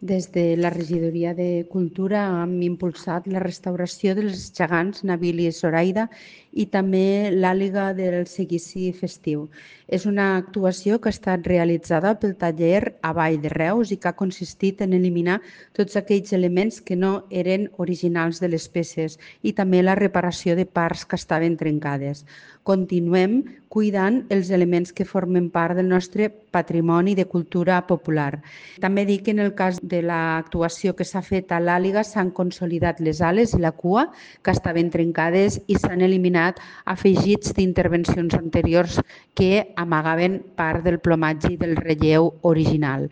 Des de la Regidoria de Cultura hem impulsat la restauració dels gegants Nabil i Zoraida i també l'àliga del seguici festiu. És una actuació que ha estat realitzada pel taller a Vall de Reus i que ha consistit en eliminar tots aquells elements que no eren originals de les peces i també la reparació de parts que estaven trencades. Continuem cuidant els elements que formen part del nostre patrimoni de cultura popular. També dic que en el cas de l'actuació que s'ha fet a l'àliga s'han consolidat les ales i la cua que estaven trencades i s'han eliminat afegits d'intervencions anteriors que amagaven part del plomatge i del relleu original.